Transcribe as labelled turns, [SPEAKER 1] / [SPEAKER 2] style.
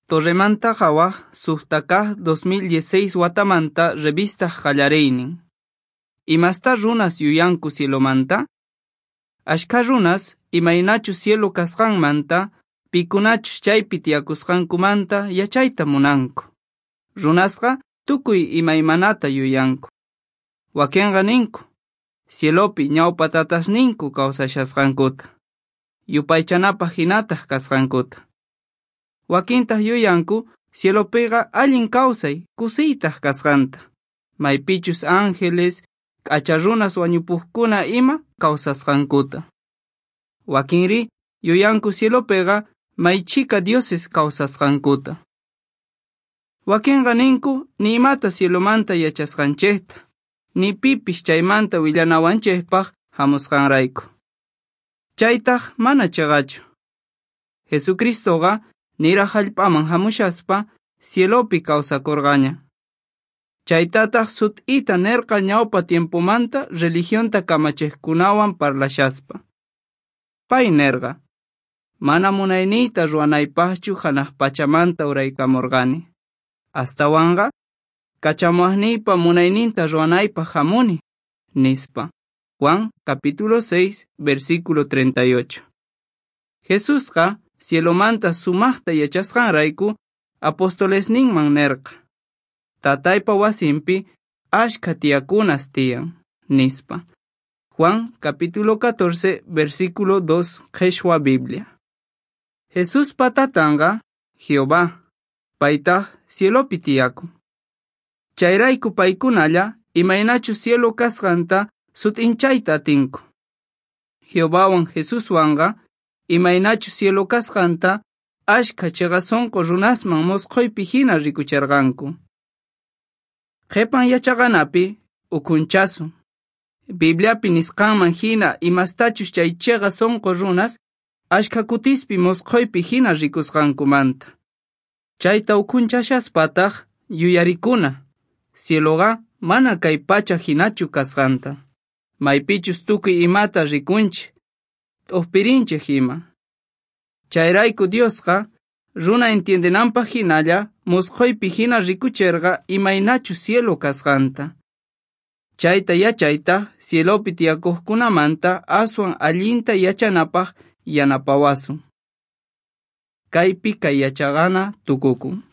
[SPEAKER 1] Torremanta Qhawaj suqta kaq 2016 watamanta revista qallariynin. Imastá runas yuyanku cielomanta? Ashkha runas imaynachus cielo kasqanmanta, pikunachus chaypi tiyakusqankumanta yachayta munanku. Runasqa tukuy imaymanata yuyanku. Wakinqa ninku, cielopi ñawpa tatasninku kawsashasqankuta, yupaychanapaq hinataq kasqankuta. Wakintaq yuyanku cielopiqa allin kawsay kusiytaq kasqanta, maypichus ángeles, k'acha runas wañupuqkuna ima kawsasqankuta. Wakinri yuyanku cielopiqa maychika dioses kawsasqankuta. Wakinqa ninku ni imata cielomanta yachasqanchikta, ni pipis chaymanta willanawanchikpaq hamusqanrayku. Chaytaq mana chiqachu. Jesucristoqa niraq hallp'aman hamushaspa cielopi kawsakurqaña. Chaytataq sut'ita nirqa ñawpa tiempomanta religionta kamachiqkunawan parlashaspa. Pay nirqa: Mana munayniyta ruwanaypaqchu hanaq pachamanta uraykamurqani. Astawanqa kachamuwaqniypa munayninta ruwanaypaq hamuni, nispa. Juan capítulo 6, versículo 38. Jesusqa cielomanta sumaqta yachasqanrayku apostolesninman nirqa: Tataypa wasinpi ashkha tiyakunas tiyan, nispa. Juan capítulo 14, versículo 2, Qheshwa Biblia. Jesuspa tatanqa Jehová, paytaq cielopi tiyakun. Chayrayku paykunalla imaynachus cielo kasqanta sut'inchayta atinku. Jehovawan Jesuswanqa imaynachus cielo kasqanta ashkha chiqa sunqu runasman musqhuypi hina rikuchirqanku. Qhipan yachaqanapi ukhunchasun. Bibliapi nisqanman hina imastachus chay chiqa sunqu runas ashkha kutispi musqhuypi hina rikusqankumanta. Chayta ukhunchashaspataq yuyarikuna, cieloqa mana kay pacha hinachu kasqanta. Maypichus tukuy imata rikunchik, t'uqpirinchik ima. Chayrayku Diosqa runa entiendenanpaq hinalla musqhuypi hina rikuchirqa imaynachus cielo kasqanta. Chayta yachaytaq cielopi tiyakuqkunamanta aswan allinta yachanapaq yanapawasun. Kaypi kay yachaqana tukukun.